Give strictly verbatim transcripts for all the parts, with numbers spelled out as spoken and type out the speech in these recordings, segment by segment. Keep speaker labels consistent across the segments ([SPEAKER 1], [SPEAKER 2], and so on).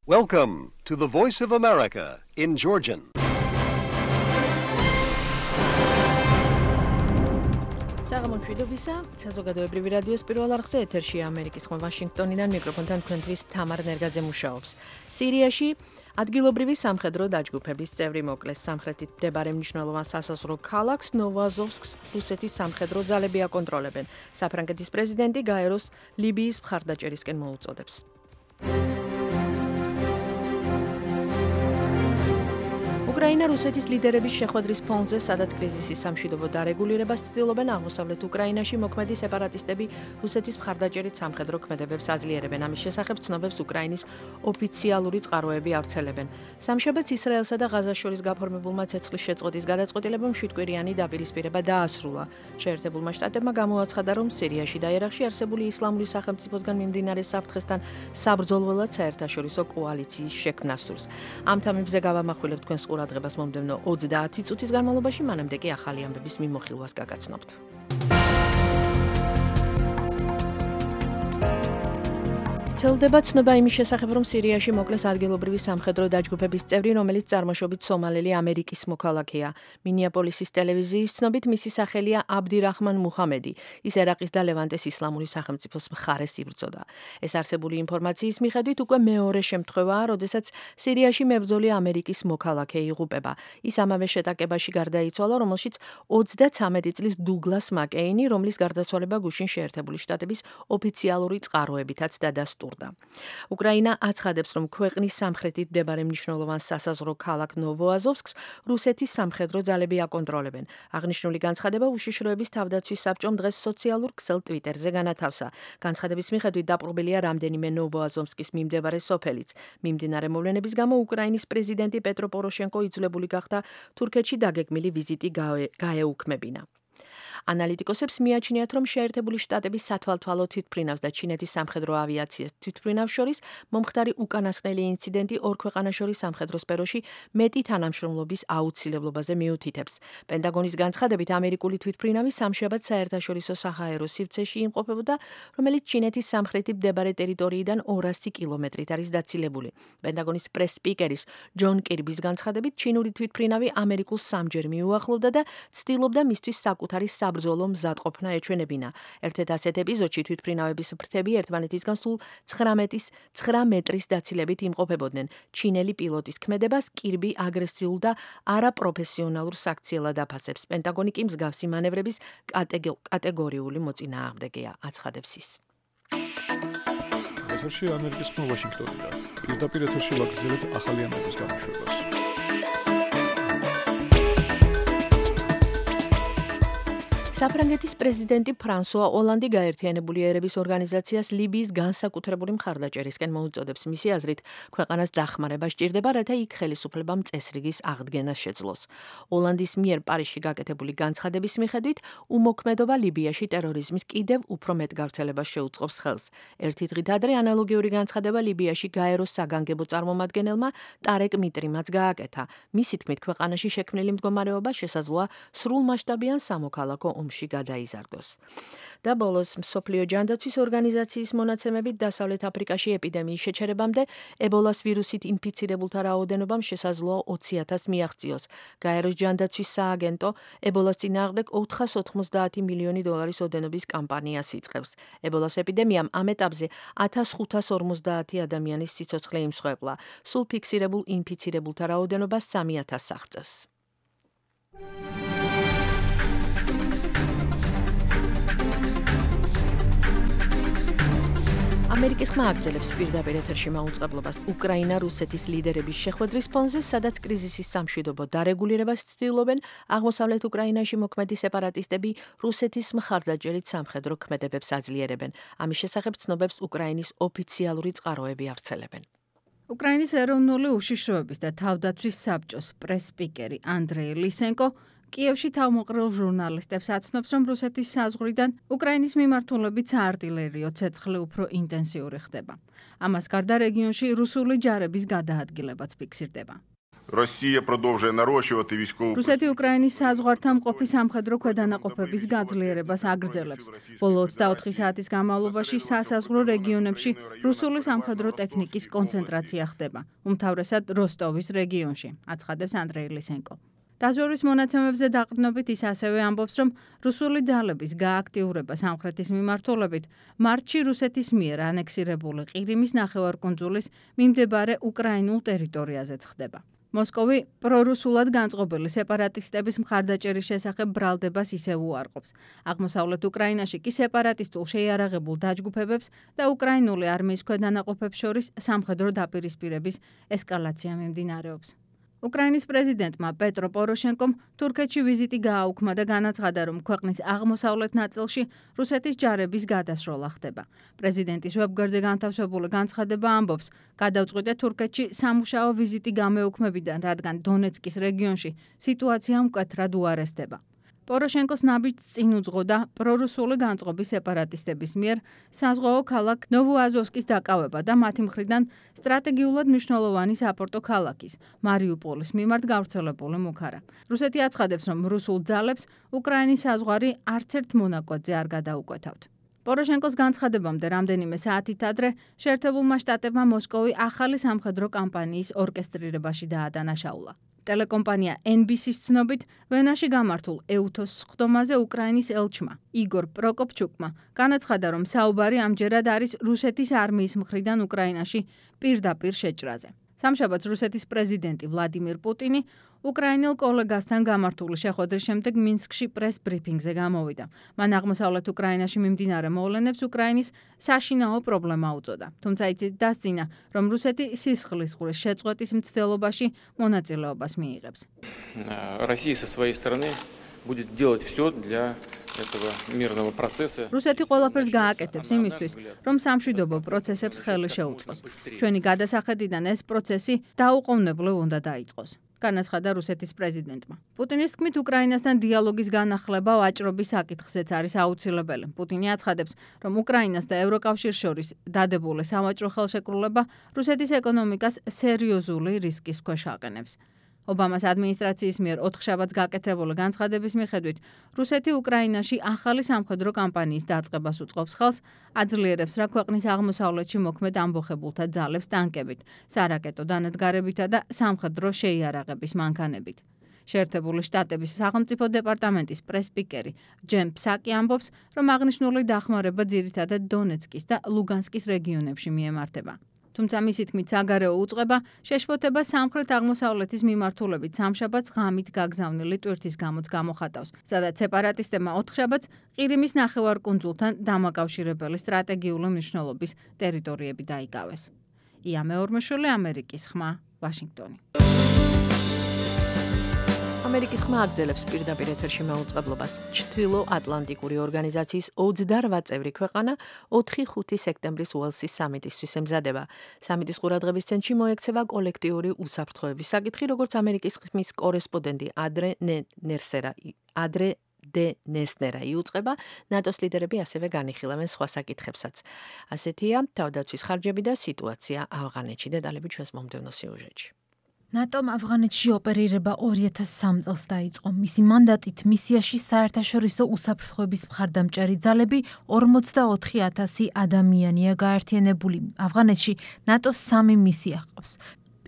[SPEAKER 1] Welcome to the Voice of America in Georgian.
[SPEAKER 2] საღამომშვიდობისა, საზოგადოებრივი რადიოს პირველ არხზე ეთერშია ამერიკის ხმა ვაშინგტონიდან მიკროფონთან თქვენთვის თამარ ნერგაძე მუშაობს. სირიაში ადგილობრივი სამხედრო დაჯგუფების წევრი მოკლეს. სამხრეთით მდებარე მნიშვნელოვან სასაზღვრო ქალაქს ნოვოაზოვსკს რუსეთის სამხედრო ძალები აკონტროლებენ. საფრანგეთის პრეზიდენტი გაეროს ლიბიის მხარდაჭერისკენ მოუწოდებს. უკრაინა რუსეთის ლიდერების შეხვედრის ფონზე, სადაც კრიზისის სამშვიდობო დარეგულირებას ცდილობენ, აღმოსავლეთ უკრაინაში მოქმედი სეპარატისტები რუსეთის მხარდაჭერით სამხედრო ქმედებებს აძლიერებენ. ამის შესახებ ცნობებს უკრაინის ოფიციალური წყაროები ავრცელებენ. სამშაბათს ისრაელსა და ღაზას შორის გაფორმებულმა ცეცხლის შეწყვეტის გადაწყვეტილებამ შვიდკვირიანი დაპირისპირება დაასრულა. შეერთებულმა შტატებმა გამოაცხადა, რომ სირიაში და ერაყში არსებული ისლამური სახელმწიფოსგან მიმდინარე საფრთხესთან საბრძოლველად საერთაშორისო კოალიციის შექმნა სურს. ამ თემებზე გავამახვილებთ თქვენს ყურადღებას მომდევნო ოცდაათი წუთის განმავლობაში, მანამდე კი ახალი ამბების მიმოხილვას გაგაცნობთ. ვრცელდება ცნობა იმის შესახებ, რომ სირიაში მოკლეს ადგილობრივი სამხედრო დაჯგუფების წევრი, რომელიც წარმოშობით სომალელი ამერიკის მოქალაქეა. მინეაპოლისის ტელევიზიის ცნობით მისი სახელია აბდირაჰმან მუჰამედი. ის ერაყის და ლევანტეს ისლამური სახელმწიფოს მხარეს იბრძოდა. ეს არსებული ინფორმაციის მიხედვით უკვე მეორე შემთხვევაა, როდესაც სირიაში მებრძოლი ამერიკის მოქალაქე იღუპება. ის ამავე შეტაკებაში გარდაიცვალა, რომელშიც ოცდაცამეტი წლის დუგლას მაკეინი, რომლის გარდაცვალება გუშინ შეერთებული შტატების ოფიციალური წყაროებითაც დადასტურდა. უკრაინა აცხადებს, რომ ქვეყნის სამხრეთით მდებარე მნიშვნელოვან სასაზღვრო ქალაქ ნოვოაზოვსკს რუსეთის სამხედრო ძალები აკონტროლებენ. აღნიშნული განცხადება უშიშროების თავდაცვის საბჭომ დღეს სოციალურ ქსელ ტვიტერზე განათავსა. განცხადების მიხედვით დაპყრობილია რამდენიმე ნოვოაზოვსკის მიმდებარე სოფელიც. მიმდინარე მოვლენების გამო უკრაინის პრეზიდენტი პეტრო პოროშენკო იძულებული გახდა თურქეთში დაგეგმილი ვიზიტი გაეუქმებინა. ანალიტიკოსებს მიაჩნიათ, რომ შეერთებული შტატების სათვალთვალო თვითმფრინავს და ჩინეთის სამხედრო ავიაციას თვითმფრინავს შორის მომხდარი უკანასკნელი ინციდენტი ორ ქვეყანას შორის სამხედრო სფეროში მეტი თანამშრომლობის აუცილებლობაზე მიუთითებს. პენტაგონის განცხადებით, ამერიკული თვითმფრინავი სამშაბათს საერთაშორისო საჰაერო სივრცეში იმყოფებოდა, რომელიც ჩინეთის სამხრეთით მდებარე ტერიტორიიდან ორასი კილომეტრით არის დაცილებული. პენტაგონის პრეს-სპიკერის ჯონ კირბის განცხადებით, ჩინური თვითმფრინავი ამერიკულს სამჯერ მიუახლოვდა და ცდილობდა მისთვის საკუთარი საბრძოლო მზადყოფნა ეჩვენებინა. ერთ-ერთ ასეთ ეპიზოდში თვითმფრინავების ფრთები ერთმანეთისგან სულ ცხრა მეტრის დაცილებით იმყოფებოდნენ. ჩინელი პილოტის ქმედებას კირბი აგრესიულ და არაპროფესიონალურ საქციელად აფასებს. პენტაგონი კი მსგავსი მანევრების კატეგორიული მოწინააღმდეგეა, აცხადებს ის.
[SPEAKER 3] ეთერში ამერიკის ხმა ვაშინგტონიდან. პირდაპირ ეთერში ვაგრძელებთ ახალი ამბების გამოშვებას.
[SPEAKER 2] საფრანგეთის პრეზიდენტი ფრანსუა ოლანდი გაერთიანებული ერების ორგანიზაციას ლიბიის განსაკუთრებული მხარდაჭერისკენ მოუწოდებს. მისი აზრით, ქვეყანას დახმარება სჭირდება, რათა იქ ხელისუფლებამ წესრიგის აღდგენას შეძლოს. ოლანდის მიერ პარიზში გაკეთებული განცხადების მიხედვით, უმოქმედობა ლიბიაში ტერორიზმის კიდევ უფრო მეტ გავრცელებას შეუწყობს ხელს. ერთი დღით ადრე ანალოგიური განცხადება ლიბიაში გაეროს საგანგებო წარმომადგენელმა ტარეკ მიტრიმაც გააკეთა. მისი თქმით, ქვეყანაში შექმნილი მდგომარეობა შესაძლოა სრულმასშტაბიან სამოქალაქო ომში გადაიზარდოს. და ბოლოს მსოფლიო ჯანდაცვის ორგანიზაციის მონაცემებით დასავლეთ აფრიკაში ეპიდემიის შეჩერებამდე ებოლას ვირუსით ინფიცირებულთა რაოდენობამ შესაძლოა ოცი ათასს მიაღწიოს. გაეროს ჯანდაცვის სააგენტო ებოლას წინააღმდეგ ოთხას ოთხმოცდაათი მილიონი დოლარის ოდენობის კამპანიას იწყებს. ებოლას ეპიდემიამ ამ ეტაპზე ათას ხუთას ორმოცდაათი ადამიანის სიცოცხლე იმსხვერპლა. სულ ფიქსირებულ ინფიცირებულთა რაოდენობა სამი ათასს აღწევს. ამერიკის ხმა აგრძელებს პირდაპირ ეთერში მაუწყებლობას უკრაინა რუსეთის ლიდერების შეხვედრის ფონზე, სადაც კრიზისის სამშვიდობო დარეგულირებას ცდილობენ, აღმოსავლეთ უკრაინაში მოქმედი სეპარატისტები რუსეთის მხარდაჭერით სამხედრო ქმედებებს აძლიერებენ. ამის შესახებ ცნობებს უკრაინის ოფიციალური წყაროები ავრცელებენ.
[SPEAKER 4] უკრაინის ეროვნული უშიშროების და თავდაცვის საბჭოს პრეს-სპიკერი ანდრეი ლისენკო კიევში თავმოყრილ ჟურნალისტებს აცნობს, რომ რუსეთის საზღვრიდან უკრაინის მიმართულებით საარტილერიო ცეცხლი უფრო ინტენსიური ხდება. ამას გარდა რეგიონში რუსული ჯარების გადაადგილებაც ფიქსირდება.
[SPEAKER 5] Росія продовжує нарощувати військову
[SPEAKER 4] რუსეთი უკრაინის საზღვართან მყოფი სამხედრო ქვედანაყოფების გაძლიერებას აგრძელებს. ბოლო ოცდაოთხი საათის განმავლობაში სასაზღვრო რეგიონებში რუსული სამხედრო ტექნიკის კონცენტრაცია ხდება, უმთავრესად როსტოვის რეგიონში, აცხადებს ანდრეი ლისენკო. დაზვერვის მონაცემებზე დაყრდნობით ის ასევე ამბობს, რომ რუსული ძალების გააქტიურება სამხრეთის მიმართულებით მარტში რუსეთის მიერ ანექსირებული ყირიმის ნახევარკუნძულის მიმდებარე უკრაინულ ტერიტორიაზეც ხდება. მოსკოვი პრორუსულად განწყობილი სეპარატისტების მხარდაჭერის შესახებ ბრალდებას ისევ უარყოფს. აღმოსავლეთ უკრაინაში კი სეპარატისტულ შეიარაღებულ დაჯგუფებებს და უკრაინული არმიის ქვედანაყოფებს შორის სამხედრო დაპირისპირების ესკალაცია მიმდინარეობს. უკრაინის პრეზიდენტმა პეტრო პოროშენკომ თურქეთში ვიზიტი გააუქმა და განაცხადა, რომ ქვეყნის აღმოსავლეთ ნაწილში რუსეთის ჯარების გადასროლა ხდება. პრეზიდენტის ვებგვერდზე განთავსებული განცხადება ამბობს, გადავწყვიტე თურქეთში სამუშაო ვიზიტი გამეუქმებიდან, რადგან დონეცკის რეგიონში სიტუაცია მკვეთრად უარესდება. პოროშენკოს ნაბიჯს წინ უძღოდა პრორუსული განწყობის სეპარატისტების მიერ საზღვაო ქალაქ ნოვოაზოვსკის დაკავება და მათი მხრიდან სტრატეგიულად მნიშვნელოვანი საპორტო ქალაქის მარიუპოლის მიმართ გავრცელებული მუქარა. რუსეთი აცხადებს, რომ რუსულ ძალებს უკრაინის საზღვარი არც ერთ მონაკვეთზე არ გადაუკვეთავთ. პოროშენკოს განცხადებამდე რამდენიმე საათით ადრე შეერთებულმა შტატებმა მოსკოვი ახალი სამხედრო კამპანიის ორკესტრირებაში დაადანაშაულა. ტელეკომპანია ენ ბი სი-ის ცნობით, ვენაში გამართულ ეუთოს სხდომაზე უკრაინის ელჩმა იგორ პროკოპჩუკმა განაცხადა, რომ საუბარი ამჯერად არის რუსეთის არმიის მხრიდან უკრაინაში პირდაპირ შეჭრაზე. სამშაბათს რუსეთის პრეზიდენტი ვლადიმირ პუტინი უკრაინელ კოლეგასთან გამართული შეხვედრის შემდეგ მინსკში პრეს ბრიფინგზე გამოვიდა. მან აღმოსავლეთ უკრაინაში მიმდინარე მოვლენებს უკრაინის საშინაო პრობლემა უწოდა. თუმცა იცით დასძინა, რომ რუსეთი სისხლის ყურის შეწყვეტის მცდელობაში მონაწილეობას მიიღებს.
[SPEAKER 6] Россия со своей стороны будет делать все для этого мирного процесса.
[SPEAKER 4] რუსეთი ყველაფერს გააკეთებს იმისთვის, რომ სამშვიდობო პროცესებს ხელი შეუწყოს. ჩვენი გადასახედიდან ეს პროცესი დაუყოვნებლივ უნდა დაიწყოს. განაცხადა რუსეთის პრეზიდენტმა. პუტინის თქმით, უკრაინასთან დიალოგის განახლება ვაჭრობის საკითხზეც არის აუცილებელი. პუტინი აცხადებს, რომ უკრაინას და ევროკავშირს შორის დადებული სავაჭრო ხელშეკრულება რუსეთის ეკონომიკას სერიოზული რისკის ქვეშ აყენებს. ობამას ადმინისტრაციის მიერ ოთხშაბათს გაკეთებული განცხადების მიხედვით, რუსეთი უკრაინაში ახალი სამხედრო კამპანიის დაწყებას უწყობს ხელს, აძლიერებს რა ქვეყნის აღმოსავლეთში მოქმედ ამბოხებულთა ძალებს ტანკებით, სარაკეტო დანადგარებითა და სამხედრო შეიარაღების მანქანებით. შეერთებული შტატების სახელმწიფო დეპარტამენტის პრეს-სპიკერი ჯენ ფსაკი ამბობს, რომ აღნიშნული დახმარება ძირითადად დონეცკის და ლუგანსკის რეგიონებში მიემართება. თუმცა მისი თქმით, საგარეო უწყება შეშფოთება სამხრეთ-აღმოსავლეთის მიმართულებით სამშაბათს ღამით გაგზავნილი ტვირთის გამოც გამოხატავს, სადაც სეპარატისტებმა ოთხშაბათს ყირიმის ნახევარკუნძულთან დამაკავშირებელი სტრატეგიული მნიშვნელობის ტერიტორიები დაიკავეს. ია მეორმეშვილი, ამერიკის ხმა, ვაშინგტონი.
[SPEAKER 2] ამერიკის ხმა აგრძელებს პირდაპირ ეთერში მაუწყებლობას. ჩრდილო-ატლანტიკური ორგანიზაციის ოცდარვა წევრი ქვეყანა ოთხი ხუთი სექტემბრის უელსის სამიტისთვის ემზადება. სამიტის ყურადღების ცენტრში მოექცევა კოლექტიური უსაფრთხოების საკითხი, როგორც ამერიკის ხმის კორესპონდენტი ადრე ნერსერა ადრე დე ნესნერა იუწყება, ნატოს ლიდერები ასევე განიხილავენ სხვა საკითხებსაც. ასეთია თავდაცვის ხარჯები და სიტუაცია ავღანეთში. დეტალები ჩვენს მომდევნო სიუჟეტში.
[SPEAKER 7] ნატომ ავღანეთში ოპერირება ორი ათას სამ წელს დაიწყო. მისი მანდატით მისიაში საერთაშორისო უსაფრთხოების მხარდამჭერი ძალები ორმოცდაოთხი ათასი ადამიანია გაერთიანებული. ავღანეთში ნატოს სამი მისია ჰყავს.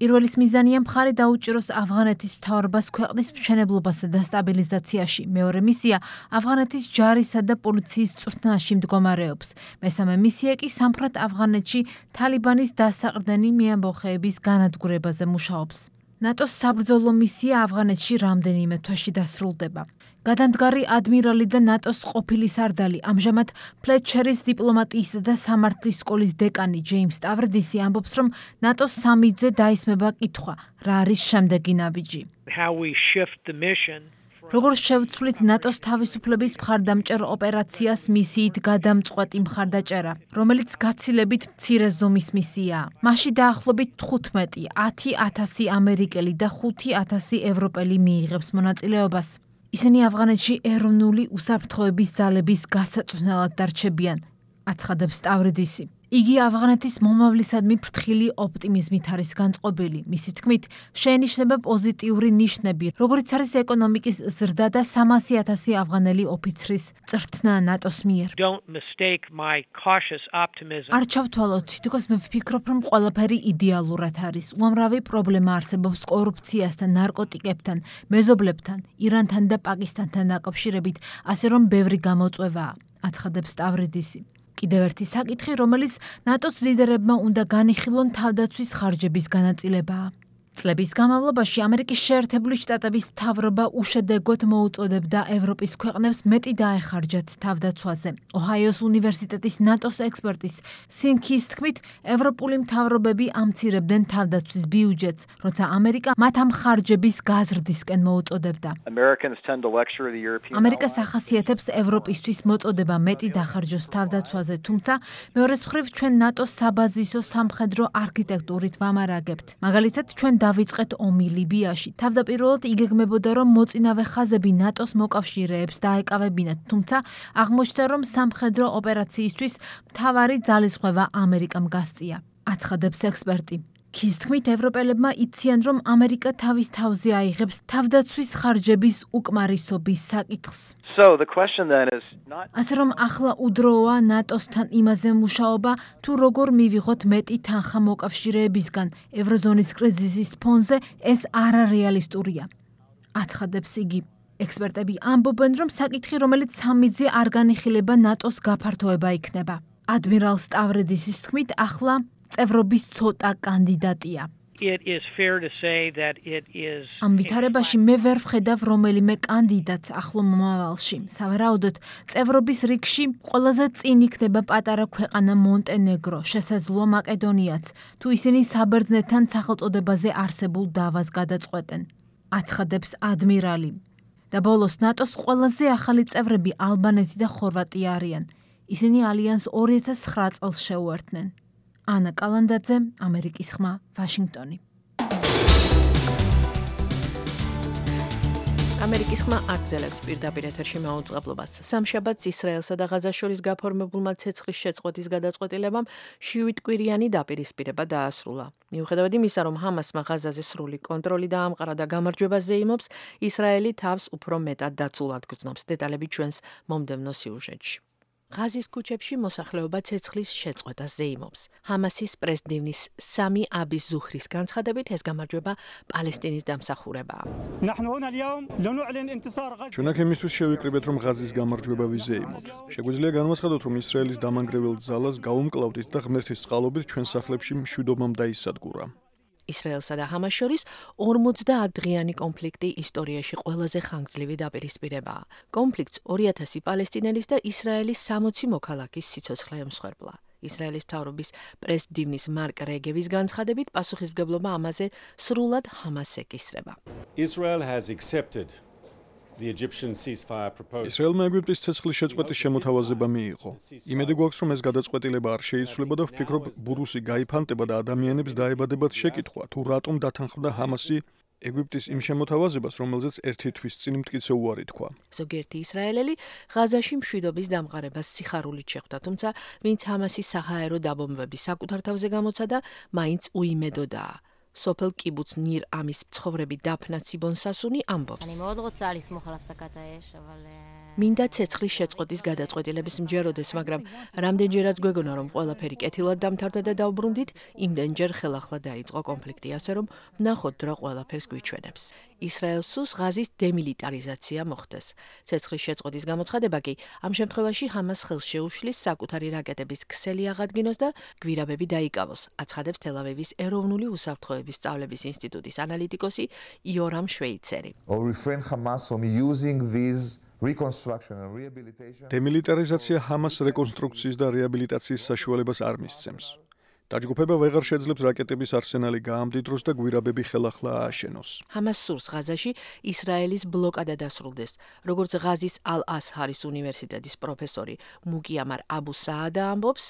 [SPEAKER 7] პირველის მიზანია მხარი დაუჭიროს ავღანეთის მთავრობას ქვეყნის მშენებლობასა და სტაბილიზაციაში. მეორე მისია ავღანეთის ჯარისა და პოლიციის წვრთნაში მდგომარეობს. მესამე მისია კი სამხრეთ ავღანეთში თალიბანის დასაყრდენი მიამბოხეების განადგურებაზე მუშაობს. ნატოს საბრძოლო მისია ავღანეთში რამდენიმე თვეში დასრულდება. გადამდგარი ადმირალი და ნატოს ყოფილი სარდალი, ამჟამად ფლეტჩერის დიპლომატიისა და სამართლის სკოლის დეკანი ჯეიმს სტავრდისი ამბობს, რომ ნატოს სამიტზე დაისმება კითხვა, რა არის შემდეგი ნაბიჯი. როგორც შევცვლით ნატოს თავისუფლების მხარდამჭერ ოპერაციას მისიით გადამწყვეტი მხარდაჭერა, რომელიც გაცილებით მცირე ზომის მისიაა. მასში დაახლოებით თხუთმეტი ათი ათასი ამერიკელი და ხუთი ათასი ევროპელი მიიღებს მონაწილეობას. ისინი ავღანეთში ეროვნული უსაფრთხოების ძალების გასაწვდნელად დარჩებიან, აცხადებს სტავრდისი. იგი ავღანეთის მომავლისადმი ფრთხილი ოპტიმიზმით არის განწყობილი. მისი თქმით, შეენიშნება პოზიტიური ნიშნები, როგორიც არის ეკონომიკის ზრდა და სამასი ათასი ავღანელი ოფიცრის წრთნა ნატოს მიერ. არ ჩავთვალოთ, თითქოს მე ვფიქრობ, რომ ყველაფერი იდეალურად არის. უამრავი პრობლემა არსებობს კორუფციასთან, ნარკოტიკებთან, მეზობლებთან, ირანთან და პაკისტანთან დაკავშირებით, ასე რომ ბევრი გამოწვევაა, აცხადებს სტავრიდისი. კიდევ ერთი საკითხი, რომელიც ნატოს ლიდერებმა უნდა განიხილონ თავდაცვის ხარჯების განაწილებაა. წლების განმავლობაში ამერიკის შეერთებული შტატების მთავრობა უშედეგოდ მოუწოდებდა ევროპის ქვეყნებს მეტი დაეხარჯათ თავდაცვაზე. ოჰაიოს უნივერსიტეტის ნატოს ექსპერტის სინქის თქმით, ევროპული მთავრობები ამცირებდნენ თავდაცვის ბიუჯეტს, როცა ამერიკა მათ ამ ხარჯების გაზრდისკენ მოუწოდებდა. ამერიკას ახასიათებს ევროპისთვის მოწოდება მეტი დახარჯოს თავდაცვაზე, თუმცა მეორეს მხრივ ჩვენ ნატოს საბაზისო სამხედრო არქიტექტურით ვამარაგებთ. მაგალითად, ჩვენ დავიწყეთ ომი ლიბიაში. თავდაპირველად იგეგმებოდა, რომ მოწინავე ხაზები ნატოს მოკავშირეებს დაეკავებინათ, თუმცა აღმოჩნდა, რომ სამხედრო ოპერაციისთვის მთავარი ძალისხმევა ამერიკამ გასწია. აცხადებს ექსპერტი. ქის თქმით, ევროპელებმა იციან, რომ ამერიკა თავის თავზე აიღებს თავდაცვის ხარჯების უკმარისობის საკითხს. ასე რომ ახლა უდროა ნატოსთან იმაზე მუშაობა, თუ როგორ მივიღოთ მეტი თანხა მოკავშირეებისგან. ევროზონის კრიზისის ფონზე ეს არარეალისტურია. აცხადებს იგი. ექსპერტები ამბობენ, რომ საკითხი, რომელიც სამიძე არ განიხილება ნატოს გაფართოება იქნება. ადმირალ სტავრიდისის თქმით, ახლა წევრობის ცოტა კანდიდატია. ამ ვითარებაში მე ვერ ვხედავ რომელიმე კანდიდატს ახლო მომავალში. სავარაუდოდ, წევრობის რიგში ყველაზე წინ იქნება პატარა ქვეყანა მონტენეგრო, შესაძლოა მაკედონიაც, თუ ისინი საბერძნეთთან სახელწოდებაზე არსებულ დავას გადაწყვეტენ. აცხადებს ადმირალი. და ბოლოს ნატოს ყველაზე ახალი წევრები ალბანეთი და ხორვატია არიან. ისინი ალიანს ორი ათას ცხრა წელს შეუერთდნენ. ანა კალანდაძე, ამერიკის ხმა, ვაშინგტონი.
[SPEAKER 2] ამერიკის ხმა აგრძელებს პირდაპირ ეთერში მაუწყებლობას. სამშაბათს ისრაელსა და ღაზას შორის გაფორმებულმა ცეცხლის შეწყვეტის გადაწყვეტილებამ შვიდკვირიანი დაპირისპირება დაასრულა. მიუხედავად იმისა, რომ ჰამასმა ღაზაზე სრული კონტროლი დაამყარა და გამარჯვებას ზეიმობს, ისრაელი თავს უფრო მეტად დაცულად გრძნობს. დეტალები ჩვენს მომდევნო სიუჟეტში. ღაზის ქუჩებში მოსახლეობა ცეცხლის შეწყვეტას ზეიმობს. ჰამასის პრესდივნის სამი აბის ზუხრის განცხადებით ეს გამარჯვება პალესტინის დამსახურებაა.
[SPEAKER 3] ჩვენ აქ იმისთვის შევიკრიბეთ, რომ ღაზის გამარჯვება ვიზეიმოთ. შეგვიძლია განვაცხადოთ, რომ ისრაელის დამანგრევილ ძალას გაუმკლავდით და ღმერთის წყალობით ჩვენ სახლებში მშვიდობამ დაისადგურა.
[SPEAKER 2] ისრაელსა და ჰამას შორის ორმოცდაათ დღიანი კონფლიქტი ისტორიაში ყველაზე ხანგრძლივი დაპირისპირებაა. კონფლიქტს ორი ათასი პალესტინელის და ისრაელის სამოცი მოქალაქის სიცოცხლე ემსხვერპლა. ისრაელის მთავრობის პრესდივნის მარკ რეგევის განცხადებით, პასუხისმგებლობა ამაზე სრულად ჰამასს ეკისრება.
[SPEAKER 8] Israel has accepted the Egyptian ceasefire proposal.
[SPEAKER 3] ისრაელმა ეგვიპტის ცეცხლის შეწყვეტის შემოთავაზება მიიღო. იმედი გვაქვს, რომ ეს გადაწყვეტილება არ შეიცვლება და ვფიქრობ, ბურუსი გაიფანტება და ადამიანებს დაებადებათ შეკითხვა, თუ რატომ დათანხმდა ჰამასი ეგვიპტის იმ შემოთავაზებას, რომელზეც ერთი თვის წინ მტკიცე უარი თქვა.
[SPEAKER 2] ზოგიერთი ისრაელელი ღაზაში მშვიდობის დამყარებას სიხარულით შეხვდა, თუმცა ვინც ჰამასის საჰაერო დაბომბვების საკუთარ თავზე გამოცადა, მაინც უიმედოდაა. სოფელ კიბუც ნირ ამის მცხოვრები დაფნა ციბონსასუნი ამბობს. მინდა ცეცხლის შეწყვეტის გადაწყვეტილების მჯეროდეს, მაგრამ რამდენჯერაც გვეგონა, რომ ყველაფერი კეთილად დამთავრდა და დავბრუნდით, იმდენჯერ ხელახლა დაიწყო კონფლიქტი, ასე რომ ვნახოთ რა ყველაფერს გვიჩვენებს. ისრაელს სურს ღაზის დემილიტარიზაცია მოხდეს. ცეცხლის შეწყვეტის გამოცხადება კი ამ შემთხვევაში ჰამას ხელს შეუშლის საკუთარი რაკეტების ქსელი აღადგინოს და გვირაბები დაიკავოს, აცხადებს თელ-ავივის ეროვნული უსაფრთხოების სწავლების ინსტიტუტის ანალიტიკოსი იორამ შვეიცერი.
[SPEAKER 3] დემილიტარიზაცია ჰამას რეკონსტრუქციის და რეაბილიტაციის საშუალებას არ მისცემს. დაჯგუფება ვეღარ შეძლებს რაკეტების არსენალი გაამდიდროს და გვირაბები ხელახლა ააშენოს.
[SPEAKER 2] ჰამას სურს ღაზაში ისრაელის ბლოკადა დასრულდეს, როგორც ღაზის ალ-ასჰარის უნივერსიტეტის პროფესორი მუკიამარ აბუ საადა ამბობს.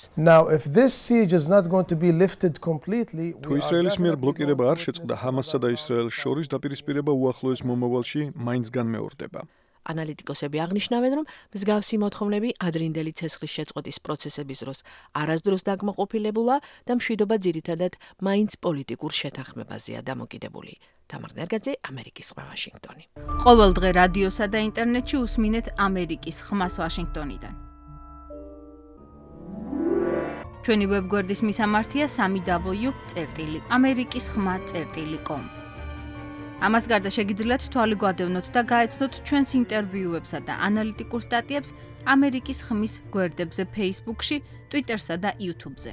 [SPEAKER 3] თუ ისრაელის მიერ ბლოკირება არ შეწყდა, ჰამასსა და ისრაელს შორის დაპირისპირება უახლოეს მომავალში მაინც განმეორდება.
[SPEAKER 2] ანალიტიკოსები აღნიშნავენ, რომ მსგავსი მოთხოვნები ადრინდელი ცეცხლის შეწყვეტის პროცესების დროს არასდროს დაკმაყოფილებულა და მშვიდობა ძირითადად მაინც პოლიტიკურ შეთანხმებაზეა დამოკიდებული. თამარ ნერგაძე, ამერიკის ხმა, ვაშინგტონი.
[SPEAKER 4] ყოველ დღე რადიოსა და ინტერნეტში უსმინეთ ამერიკის ხმას ვაშინგტონიდან. ჩვენი ვებგვერდის მისამართია სამი დაბლიუ წერტილი ამერიკის ხმა წერტილი კომ. ამას გარდა შეგიძლიათ თვალი გვადევნოთ და გაეცნოთ ჩვენს ინტერვიუებსა და ანალიტიკურ სტატიებს ამერიკის ხმის გვერდებზე Facebook-ში, Twitter-სა და YouTube-ზე.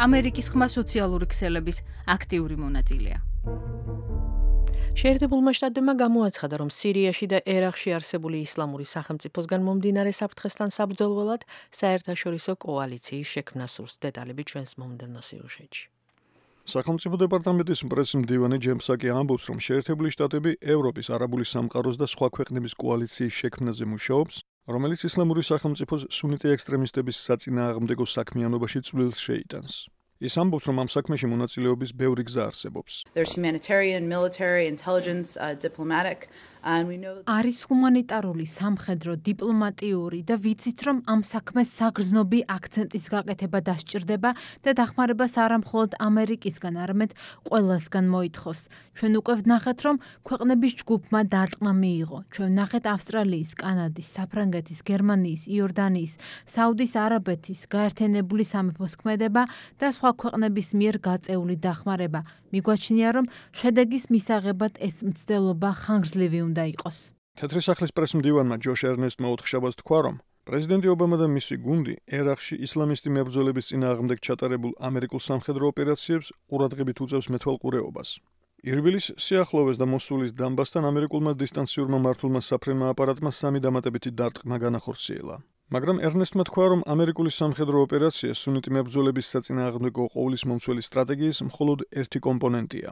[SPEAKER 4] ამერიკის ხმა სოციალური ქსელების აქტიური მონაწილეა.
[SPEAKER 2] შეერთებულმა შტატებმა გამოაცხადა, რომ სირიაში და ერაყში არსებული ისლამური სახელმწიფოსგან მომდინარე საფრთხესთან საბრძოლველად საერთაშორისო კოალიციის შექმნა სურს. დეტალები ჩვენს მომდევნო სიუჟეტში.
[SPEAKER 3] სახელმწიფო დეპარტამენტის პრესმდივანი ჯემსაკი ამბობს, რომ შეერთებული შტატები ევროპის, არაბული სამყაროს და სხვა ქვეყნების კოალიციის შექმნაზე მუშაობს, რომელიც ისლამური სახელმწიფოს სუნიტი ექსტრემისტების საწინააღმდეგო საქმიანობაში წვლილს შეიტანს. ის ამბობს, რომ ამ საქმეში მონაწილეობის ბევრი გზა არსებობს.
[SPEAKER 7] არის ჰუმანიტარული, სამხედრო, დიპლომატიური და ვიცით, რომ ამ საქმეს საგრძნობი აქცენტის გაკეთება დასჭირდება და დახმარებას არა მხოლოდ ამერიკისგან, არამედ ყველასგან მოითხოვს. ჩვენ უკვე ვნახეთ, რომ ქვეყნების ჯგუფმა დარტყმა მიიღო. ჩვენ ვნახეთ ავსტრალიის, კანადის, საფრანგეთის, გერმანიის, იორდანიის, საუდის არაბეთის, გაერთიანებული სამეფოს ქმედება და სხვა ქვეყნების მიერ გაწეული დახმარება. მიგვაჩნია, რომ შედეგის მისაღებად ეს მცდელობა ხანგრძლივი უნდა იყოს.
[SPEAKER 3] თეთრი სახლის პრესმდივანმა ჯოშ ერნესტმა ოთხშაბათს თქვა, რომ პრეზიდენტი ობამა და მისი გუნდი ერაყში ისლამისტი მებრძოლების წინააღმდეგ ჩატარებულ ამერიკულ სამხედრო ოპერაციებს ყურადღებით უწევს მეთვალყურეობას. ირბილის, სიახლოვეს და მოსულის დამბასთან ამერიკულმა დისტანციურმა მართულმა საფრენმა აპარატმა სამი დამატებითი დარტყმა განახორციელა. მაგრამ ერნესტმა თქვა, რომ ამერიკული სამხედრო ოპერაცია სუნიტი მებრძოლების საწინააღმდეგო ყოვლისმომცველი სტრატეგიის მხოლოდ ერთი კომპონენტია.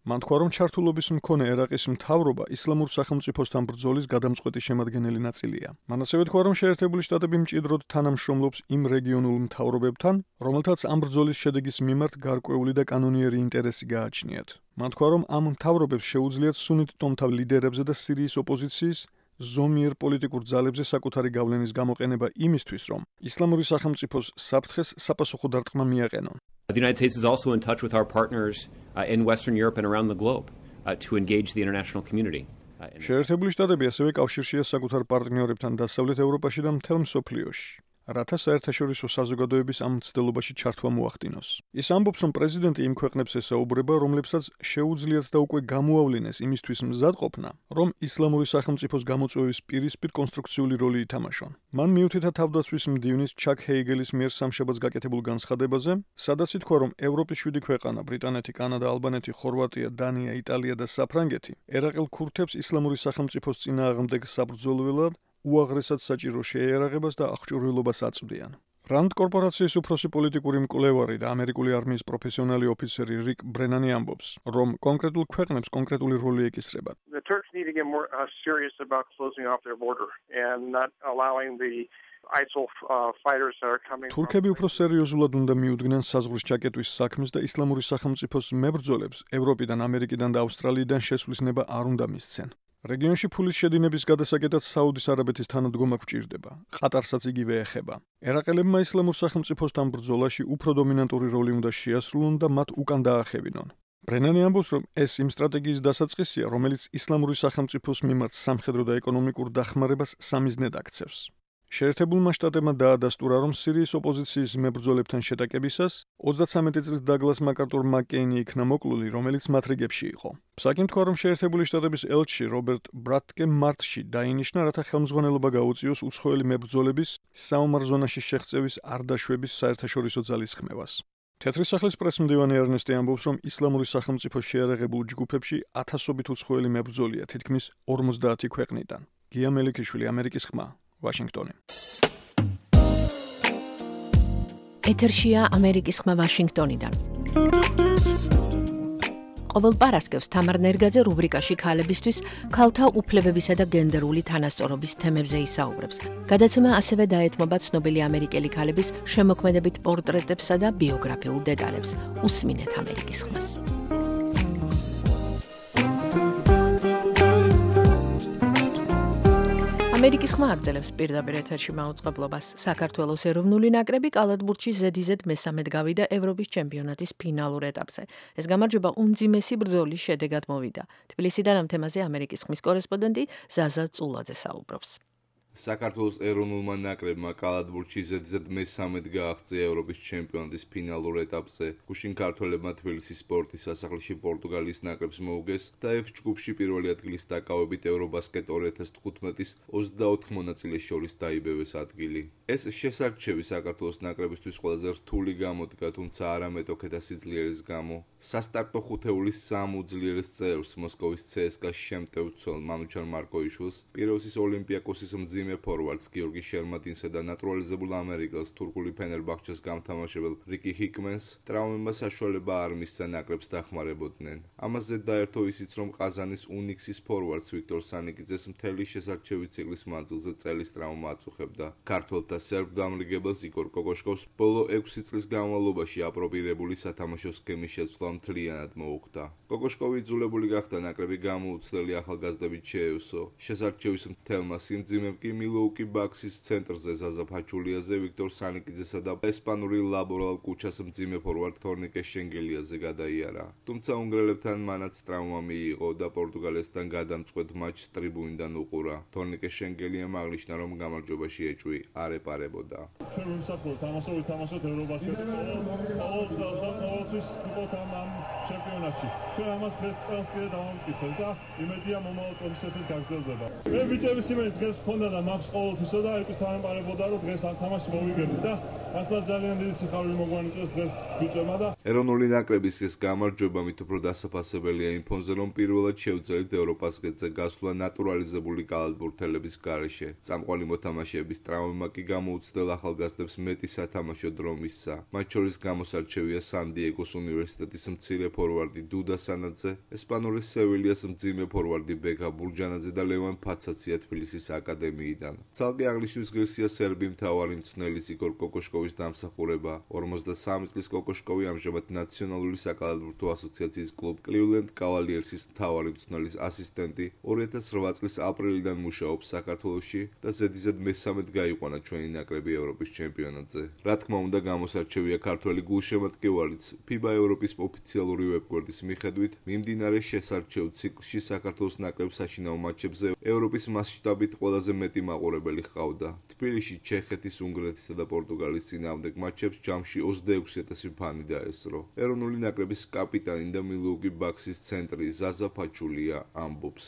[SPEAKER 3] მან თქვა, რომ ჩართულობის მქონე ერაყის მთავრობა ისლამურ სახელმწიფოსთან ბრძოლის გადამწყვეტი შემადგენელი ნაწილია. მან ასევე თქვა, რომ შეერთებული შტატები მჭიდროდ თანამშრომლობს იმ რეგიონულ მთავრობებთან, რომელთაც ამ ბრძოლის შედეგის მიმართ გარკვეული და კანონიერი ინტერესი გააჩნიათ. მან თქვა, რომ ამ მთავრობებს შეუძლიათ სუნიტ ტომთა ლიდერებზე და სირიის ოპოზიციის ზომიერ პოლიტიკურ ძალებზე საკუთარი გავლენის გამოყენება იმისთვის, რომ ისლამური სახელმწიფოს საფრთხეს საპასუხო დარტყმა მიაყენონ.
[SPEAKER 9] The United States is also in touch with our partners uh, in Western Europe and around the globe uh, to engage the international community.
[SPEAKER 3] შეერთებული შტატები ასევე კავშირშია საკუთარ პარტნიორებთან დასავლეთ ევროპაში და მთელ მსოფლიოში, რათა საერთაშორისო საზოგადოების ამ მცდელობაში ჩართვა მოახდინოს. ის ამბობს, რომ პრეზიდენტი იმ ქვეყნებს ესაუბრება, რომლებსაც შეუძლიათ და უკვე გამოავლინეს იმისთვის მზადყოფნა, რომ ისლამური სახელმწიფოს გამოწვევის პირისპირ კონსტრუქციული როლი ითამაშონ. მან მიუთითა თავდაცვის მდივნის ჩაკ ჰეიგელის მიერ სამშაბათს გაკეთებულ განცხადებაზე, სადაც ითქვა, რომ ევროპის შვიდი ქვეყანა, ბრიტანეთი, კანადა, ალბანეთი, ხორვატია, დანია, იტალია და საფრანგეთი ერაყელ ქურთებს ისლამური სახელმწიფოს წინააღმდეგ საბრძოლველად უაღრესად საჭირო შეიარაღებას და აღჭურვილობას აწვდიან. რანდ კორპორაციის უფროსი პოლიტიკური მკვლევარი და ამერიკული არმიის პროფესიონალი ოფიცერი რიკ ბრენანი ამბობს, რომ კონკრეტულ ქვეყნებს კონკრეტული როლი ეკისრებათ.
[SPEAKER 10] The Turks need to get more uh, serious about closing off their border and not allowing the I S I L uh, fighters that are coming.
[SPEAKER 3] თურქები უფრო სერიოზულად უნდა მიუდგნენ საზღვრის ჩაკეტვის საქმეს და ისლამური სახელმწიფოს მებრძოლებს ევროპიდან, ამერიკიდან და ავსტრალიიდან შესვლის ნება არ უნდა მისცენ. რეგიონში ფულის შედინების გადასაკეთად საუდის არაბეთის თანადგომა გვჭირდება. ყატარსაც იგივე ეხება. ერაყელებმა ისლამურ სახელმწიფოსთან ბრძოლაში უფრო დომინანტური როლი უნდა შეასრულონ და მათ უკან დაახევინონ. ბრენანი ამბობს, რომ ეს იმ სტრატეგიის დასაწყისია, რომელიც ისლამური სახელმწიფოს მიმართ სამხედრო და ეკონომიკურ დახმარებას სამიზნედ აქცევს. შეერთებულმა შტატებმა დაადასტურა, რომ სირიის ოპოზიციის მებრძოლებთან შეტაკებისას ოცდათსამეტი წლის დაგლას მაკარტურ მაკკეინი იქნა მოკლული, რომელიც მათ რიგებში იყო. ფსაკიმ თქვა, რომ შეერთებული შტატების ელჩი რობერტ ბრატკე მარტში დაინიშნა, რათა ხელმძღვანელობა გაუწიოს უცხოელი მებრძოლების საომარ ზონაში შეღწევის არ დაშვების საერთაშორისო ძალის ხმევას. თეთრი სახლის პრესმდივანი ერნესტი ამბობს, რომ ისლამური სახელმწიფოს შეიარაღებულ ჯგუფებში ათასობით უცხოელი მებრძოლია თითქმის ორმოცდაათი ქვეყნიდან. გია მელიქიშვილი, ამერიკის ხმა, ვაშინგტონი.
[SPEAKER 2] ეთერშია ამერიკის ხმა ვაშინგტონიდან. ყოველ პარასკევს თამარ ნერგაძე რუბრიკაში ქალებისთვის ქალთა უფლებებისა და გენდერული თანასწორობის თემებზე ისაუბრებს. გადაცემა ასევე დაეთმობა ცნობილი ამერიკელი ქალების შემოქმედებით პორტრეტებსა და ბიოგრაფიულ დეტალებს. უსმინეთ ამერიკის ხმას. ამერიკის ხმა აგრძელებს პირდაპირ ეთერში მაუწყებლობას. საქართველოს ეროვნული ნაკრები კალათბურთში ზედიზედ მესამედ გავიდა ევროპის ჩემპიონატის ფინალურ ეტაპზე. ეს გამარჯვება უმძიმესი ბრძოლის შედეგად მოვიდა. თბილისიდან ამ თემაზე ამერიკის ხმის კორესპონდენტი ზაზა წულაძე საუბრობს.
[SPEAKER 11] საქართველოს ეროვნულმა ნაკრებმა კალათბურთში ზედიზედ მესამედ გააღწია ევროპის ჩემპიონატის ფინალურ ეტაპზე. გუშინ ქართველებმა თბილისის სპორტის სასახლეში პორტუგალიის ნაკრებს მოუგეს და F ჯგუფში პირველი ადგილის დაკავებით ევრობასკეტ ორი ათას თხუთმეტის ოცდაოთხ მონაწილეს შორის დაიბევეს ადგილი. ეს შესარჩევი საქართველოს ნაკრებისთვის ყველაზე რთული გამოდგა, თუმცა არა მეტოქეთა სიძლიერის გამო. სასტარტო ხუთეულის სამ უძლიერეს წევრს მოსკოვის ცსკა-ს შემტევ ცოლ მანუჩარ მარკოიშვილს, პიროსის ოლიმპიაკოსის მძიმე ფორვარდს გიორგი შერმატინსა და ნატურალიზებულ ამერიკელს თურქული ფენერბახჩეს გამთამაშებელ რიკი ჰიკმენს ტრავმებმა საშუალება არ მისცა ნაკრებს დახმარებოდნენ. ამაზე დაერთო ისიც, რომ ყაზანის უნიქსის ფორვარდს ვიქტორ სანიკიძეს მთელი შესარჩევი ციკლის მანძილზე წელის ტრავმა აწუხებდა. ქართველთა სერბ დამრიგებელს იგორ კოკოშკოვს ბოლო ექვსი წლის განმავლობაში აპრობირებული სათამაშო სქემის შეცვლა მთლიანად მოუხდა. კოკოშკოვი იძულებული გახდა ნაკრები გამოუცდელი ახალგაზრდებით შეევსო. შესარჩევის მთელმა სიმძიმემ კი მილოუკი ბაქსის ცენტრზე ზაზა ფაჩულიაზე, ვიქტორ სანიკიძესა და ესპანური ლაბორალ კუჩას მძიმე ფორვარდ თორნიკე შენგელიაზე გადაიარა. თუმცა უნგრელებთან მანაც ტრავმა მიიღო და პორტუგალიასთან გადამწყვეტ მატჩს ტრიბუნიდან უყურა. თორნიკე შენგელიამ აღნიშნა, რომ გამარჯვებაში ეჭვი არ ეპარებოდა.
[SPEAKER 12] ჩვენ ვიმსახურებთ ამას, რომ ვითამაშოთ ევრობასკეტი ყოველ წელს და ყოველთვის ვიყოთ ამ ჩემპიონატში. ჩვენ ამას დღეს წელს კიდე დავამტკიცებთ და იმედია მომავალ წელს ეს გაგრძელდება. მე ბიჭების იმედი დღეს ვქონდა და მაქვს ყოველთვისო და ეჭვით ამეპარებოდა, რომ დღეს ამ თამაშს მოვიგებდით და ახლა ძალიან დიდი სიხარული მოგვანიჭეს დღეს ბიჭებმა და
[SPEAKER 11] ეროვნული ნაკრების ეს გამარჯვება მით უფრო დასაფასებელია იმ ფონზე, რომ პირველად შევძელით ევროპასკეტზე გასვლა ნატურალიზებული კალათბურთელების გარეშე. წამყვანი მოთამაშეების ტრავმა კი გამოუცდელ ახალგაზრდებს მეტი სათამაშო დრო მისცა. მათ შორის გამოსარჩევია სან-დიეგოს უნივერსიტეტის მცირე ფორვარდი დუდა სანაძე, ესპანურის სევილიას მძიმე ფორვარდი ბეკა ბურჯანაძე და ლევან ფაცაცია თბილისის აკადემიიდან. ცალკე აღნიშნვის ღირსია სერბი მთავარი მწვრთნელის იგორ კოკოშკოვის დამსახურება. ორმოცდასამი წლის კოკოშკოვი ამჟამად ნაციონალური საკალათბურთო ასოციაციის კლუბ კლივლენდ კავალიერსის მთავარი მწვრთნელის ასისტენტი, ორი ათას რვა წლის აპრილიდან მუშაობს საქართველოში და ზედიზედ მესამედ გაიყვანა ჩვენი ნაკრები ევროპის ჩემპიონატზე. რა თქმა უნდა, გამოსარჩევია ქართველი გულშემატკივარიც. ფიბა ევროპის ოფიციალური ვებგვერდის მიხედვით, მიმდინარე შესარჩევ ციკლში საქართველოს ნაკრებს საშინაო მატჩებზე ევროპის მასშტაბით ყველაზე მეტი მაყურებელი ჰყავდა. თბილისში ჩეხეთის, უნგრეთისა და პორტუგალიის წინააღმდეგ მატჩებს ჯამში ოცდაექვსი ათასი ფანი დაესწრო. ეროვნული ნაკრების კაპიტანი და მილოუკი ბაქსის ცენტრი ზაზა ფაჩულია ამბობს.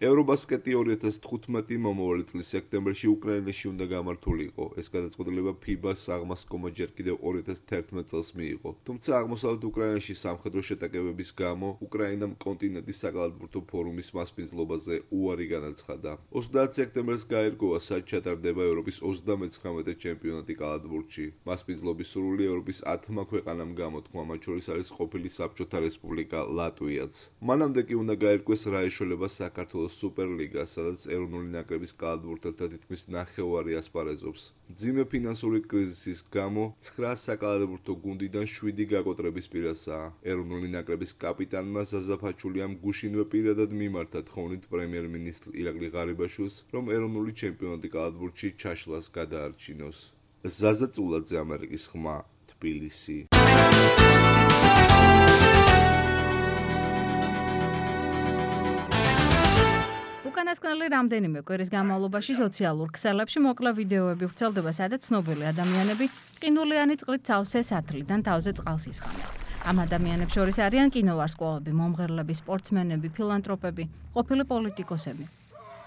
[SPEAKER 11] ევრობასკეტი ორი ათას თხუთმეტი მომავალი წლის სექტემბერში უკრაინაში უნდა გამართულიყო. ეს გადაწყვეტილება ფიბას აღმასკომა ჯერ კიდევ ორი ათას თერთმეტ წელს მიიღო. თუმცა აღმოსავლეთ უკრაინაში სამხედრო შეტაკებების გამო უკრაინამ კონტინენტის საკალათბურთო ფორუმის მასპინძლობაზე უარი განაცხადა. ოცდაათი სექტემბერს გაერკვა, სად ჩატარდება ევროპის ოცდამეცხრამეტე ჩემპიონატი კალათბურთში. მასპინძლობის სურვილი ევროპის ათმა ქვეყანამ გამოთქვა, მათ შორის არის ყოფილი საბჭოთა რესპუბლიკა ლატვიაც. მანამდე კი უნდა გაერკვეს რა ეშველება საქართველოს სუპერლიგა, სადაც ეროვნული ნაკრების კალათბურთელთა თითქმის ნახევარი ასპარეზობს. მძიმე ფინანსური კრიზისის გამო ცხრა საკალათბურთო გუნდიდან შვიდი გაკოტრების პირასაა. ეროვნული ნაკრების კაპიტანმა ზაზა ფაჩულიამ გუშინვე პირადად მიმართა თხოვნით პრემიერ-მინისტრ ირაკლი ღარიბაშვილს, რომ ეროვნული ჩემპიონატი კალათბურთში ჩაშლას გადაარჩინოს. ზაზა წულაძე, ამერიკის ხმა, თბილისი.
[SPEAKER 4] უკანასკნელი რამდენიმე კვირის განმავლობაში სოციალურ ქსელებში მოკლე ვიდეოები ვრცელდება, სადაც ცნობილი ადამიანები ყინულიანი წყლით სავსე სათლიდან თავზე წყალს ისხამენ. ამ ადამიანებს შორის არიან კინოვარსკვლავები, მომღერლები, სპორტსმენები, ფილანტროპები, ყოფილი პოლიტიკოსები.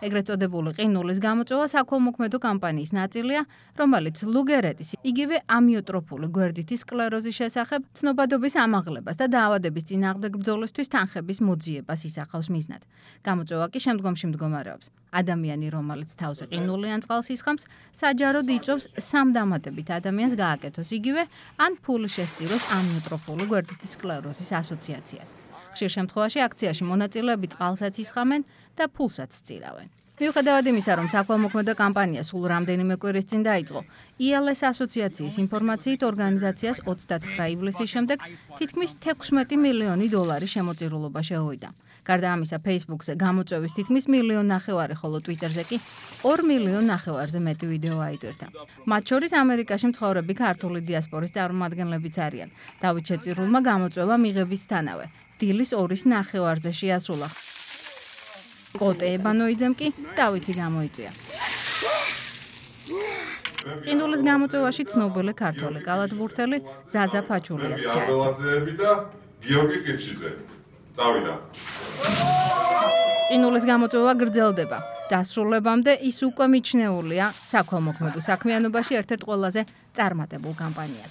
[SPEAKER 4] ეგრეთ წოდებული ყინულის გამოწვევა საქველმოქმედო კამპანიის ნაწილია, რომელიც ლუგერეტის იგივე ამიოტროფული გვერდითი სკლეროზის შესახებ ცნობადობის ამაღლებას და დაავადების წინააღმდეგ ბრძოლისთვის თანხების მოძიებას ისახავს მიზნად. გამოწვევა კი შემდგომში მდგომარეობს. ადამიანი, რომელიც თავზე ყინული ან წყალს ისხამს, საჯაროდ იწვევს სამ დამატებით ადამიანს გააკეთოს იგივე, ან ფული შესწიროს ამიოტროფული გვერდითი სკლეროზის ასოციაციას. ხშირ შემთხვევაში აქციაში მონაწილეები წყალსაც ისხამენ და ფულსაც სწირავენ. მიუხედავად იმისა, რომ საქველმოქმედო კამპანია სულ რამდენიმე კვირის წინ დაიწყო, ი ელ ეს ასოციაციის ინფორმაციით ორგანიზაციას ოცდაცხრა ივლისის შემდეგ თითქმის თექვსმეტი მილიონი დოლარი შემოწირულობა შეუვიდა. გარდა ამისა, Facebook-ზე გამოწვევის თითქმის მილიონ ნახევარი, ხოლო Twitter-ზე კი ორ მილიონ ნახევარზე მეტი ვიდეო აიტვირთა. მათ შორის ამერიკაში მცხოვრები ქართული დიასპორის წარმომადგენლებიც არიან. დავით შეწირულმა გამოწვევა მიღებისთანავე დილის ორის ნახევარზე შეასრულა. კოტე ებანოიძემ კი დავითი გამოიწვია. ყინულის გამოწვევაში ცნობილი ქართველი კალათბურთელი ზაზა ფაჩულიაც ჩაერთო.
[SPEAKER 13] და გიორგი კიფშიძე. დავიდა.
[SPEAKER 4] ყინულის გამოწვევა გრძელდება. დასრულებამდე ის უკვე მიჩნეულია საქველმოქმედო საქმიანობაში ერთ-ერთ ყველაზე წარმატებულ კამპანიად.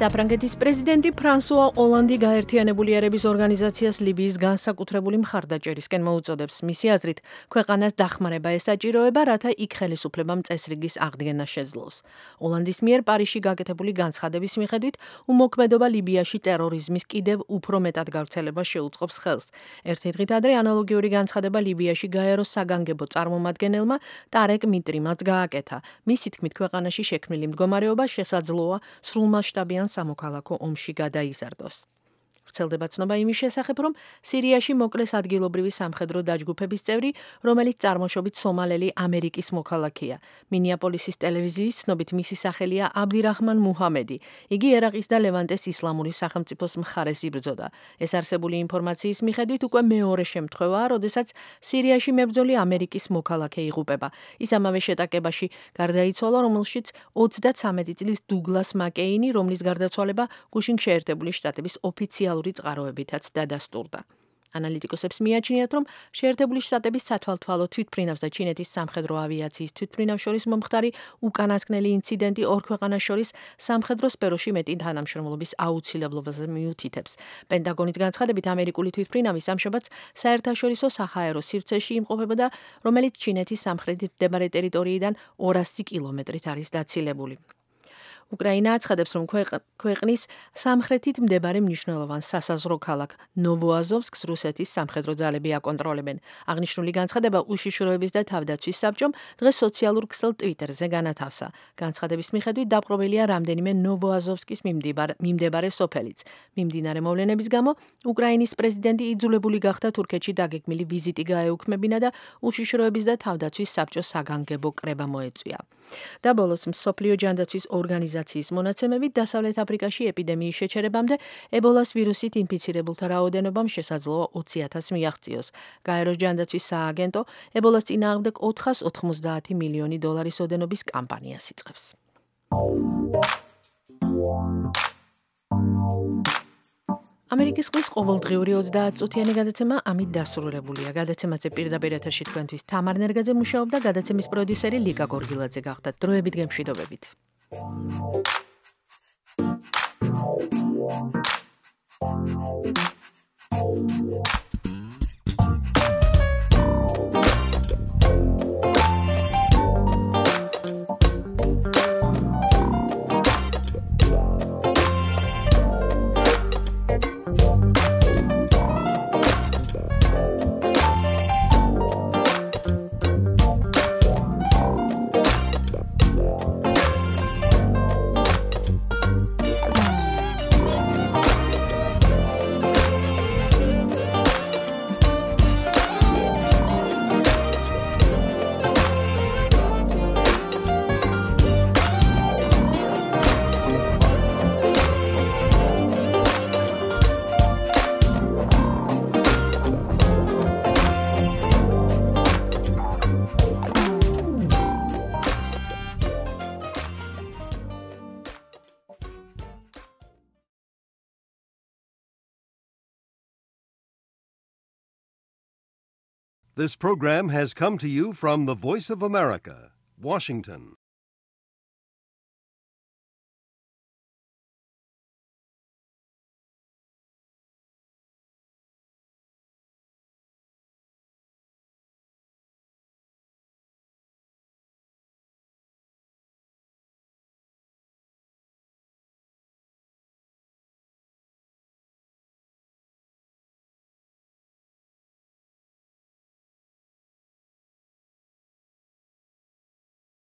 [SPEAKER 2] საფრანგეთის პრეზიდენტი ფრანსუა ოლანდი გაერთიანებული ერების ორგანიზაციას ლიბიის განსაკუთრებული მხარდაჭერისკენ მოუწოდებს. მისი აზრით, ქვეყანას დახმარება ესაჭიროება, რათა იქ ხელისუფლებამ წესრიგის აღდგენა შეძლოს. ოლანდის მიერ პარიზში გაკეთებული განცხადების მიხედვით, უმოქმედობა ლიბიაში ტერორიზმის კიდევ უფრო მეტად გავრცელებას შეუწყობს ხელს. ერთი დღით ადრე ანალოგიური განცხადება ლიბიაში გაეროს საგანგებო წარმომადგენელმა ტარეკ მიტრიმაც გააკეთა. მისი თქმით, ქვეყანაში შექმნილი მდგომარეობა შესაძლოა სრულმასშტაბიან სამოქალაქო ომში გადაიზარდოს. ვრცელდება ცნობა იმის შესახებ, რომ სირიაში მოკლეს ადგილობრივი სამხედრო დაჯგუფების წევრი, რომელიც წარმოშობით სომალელი ამერიკის მოქალაქეა. მინიაპოლისის ტელევიზიის ცნობით მისი სახელია აბდირაჰმან მუჰამედი. იგი ერაყის და ლევანტეს ისლამური სახელმწიფოს მხარეს იბრძოდა. ეს არსებული ინფორმაციის მიხედვით უკვე მეორე შემთხვევაა, როდესაც სირიაში მებრძოლი ამერიკის მოქალაქე იღუპება. ის ამავე შეტაკებაში გარდაიცვალა, რომელშიც ოცდაცამეტი წლის დუგლას მაკეინი, რომლის გარდაცვალება გუშინ შეერთებული შტატების ოფიციალური წყაროებითაც დადასტურდა. ანალიტიკოსებს მიაჩნიათ, რომ შეერთებული შტატების სათვალთვალო თვითმფრინავს და ჩინეთის სამხედრო ავიაციის თვითმფრინავს შორის მომხდარი უკანასკნელი ინციდენტი ორ ქვეყანას შორის სამხედრო სფეროში მეტი თანამშრომლობის აუცილებლობაზე მიუთითებს. პენტაგონის განცხადებით, ამერიკული თვითმფრინავი სამშაბათს საერთაშორისო საჰაერო სივრცეში იმყოფებოდა, რომელიც ჩინეთის სამხრეთით მდებარე ტერიტორიიდან ორასი კილომეტრით არის დაცილებული. უკრაინა აცხადებს, რომ ქვეყნის სამხრეთით მდებარე მნიშვნელოვან სასაზღვრო ქალაქ ნოვოაზოვსკს რუსეთის სამხედრო ძალები აკონტროლებენ. აღნიშნული განცხადება უშიშროების და თავდაცვის საბჭომ დღეს სოციალურ ქსელ Twitter-ზე განათავსა. განცხადების მიხედვით დაპყრობილია რამდენიმე ნოვოაზოვსკის მიმდებარე სოფელიც. მიმდინარე მოვლენების გამო უკრაინის პრეზიდენტი იძულებული გახდა თურქეთში დაგეგმილი ვიზიტი გაეუქმებინა და უშიშროების და თავდაცვის საბჭოს საგანგებო კრება მოეწვია. და ბოლოს მსოფლიო ჯანდაცვის ორგანიზაცია მონაცემებით დასავლეთ აფრიკაში ეპიდემიის შეჩერებამდე ებოლას ვირუსით ინფიცირებულთა რაოდენობამ შესაძლოა ოცი ათასს მიაღწიოს. გაეროს ჯანდაცვის სააგენტო ებოლას წინააღმდეგ ოთხას ოთხმოცდაათი მილიონი დოლარის ოდენობის კამპანიას იწყებს. ამერიკის ყრის ყოველდღიური ოცდაათწუთიანი გადაცემა ამით დასრულებულია. გადაცემაზე პირდაპირ ეთერში თქვენთვის თამარ ნერგაძე მუშაობდა, გადაცემის პროდიუსერი ლიკა გორგილაძე გახდათ. დროებით გემშვიდობებით.
[SPEAKER 1] This program has come to you from the Voice of America, Washington.